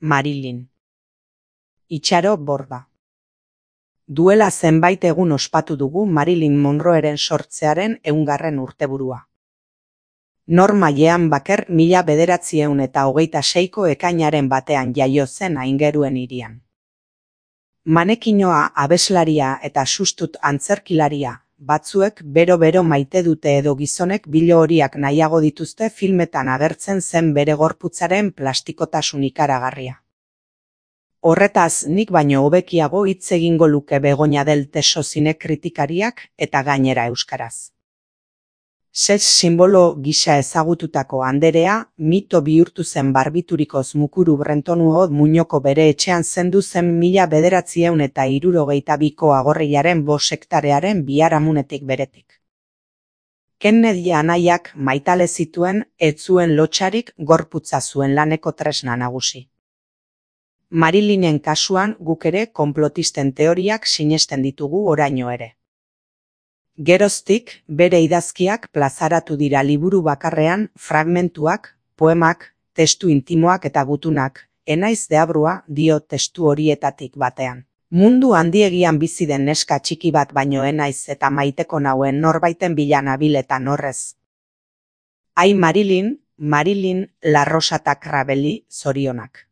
Marilyn. Itxaro Borda. Duela zenbait egun ospatu dugu Marilyn Monroeren sortzearen 100. urteburua. Normalean baker 1926ko ekainaren batean jaio zen Aingeruen hirian. Manekinoa, abeslaria eta sustut antzerkilaria, batzuek bero-bero maite dute edo gizonek bilo horiak nahiago dituzte filmetan agertzen zen bere gorputzaren plastikotasun ikaragarria. Horretaz nik baino hobekiago hitz egingo luke Begoña del Teso zine kritikariak eta gainera euskaraz. Sex simbolo gisa ezagututako anderea, mito bihurtu zen barbiturikoz mukuru Brentonuo Muñoko bere etxean zendu zen 1962ko agorriaren 5 hektarearen biharamunetik beretik. Kennedy anaiak maitale zituen, ez zuen lotsarik, gorputza zuen laneko tresna nagusi. Marilynen kasuan guk ere konplotisten teoriak sinesten ditugu oraino ere. Geroztik, bere idazkiak plazaratu dira liburu bakarrean, fragmentuak, poemak, testu intimoak eta gutunak, enaiz deabrua dio testu horietatik batean. Mundu handiegian bizi den neska txiki bat baino enaiz eta maiteko nauen norbaiten bila nabil eta norrez. Ai Marilyn, La Rosa Crabelli, zorionak.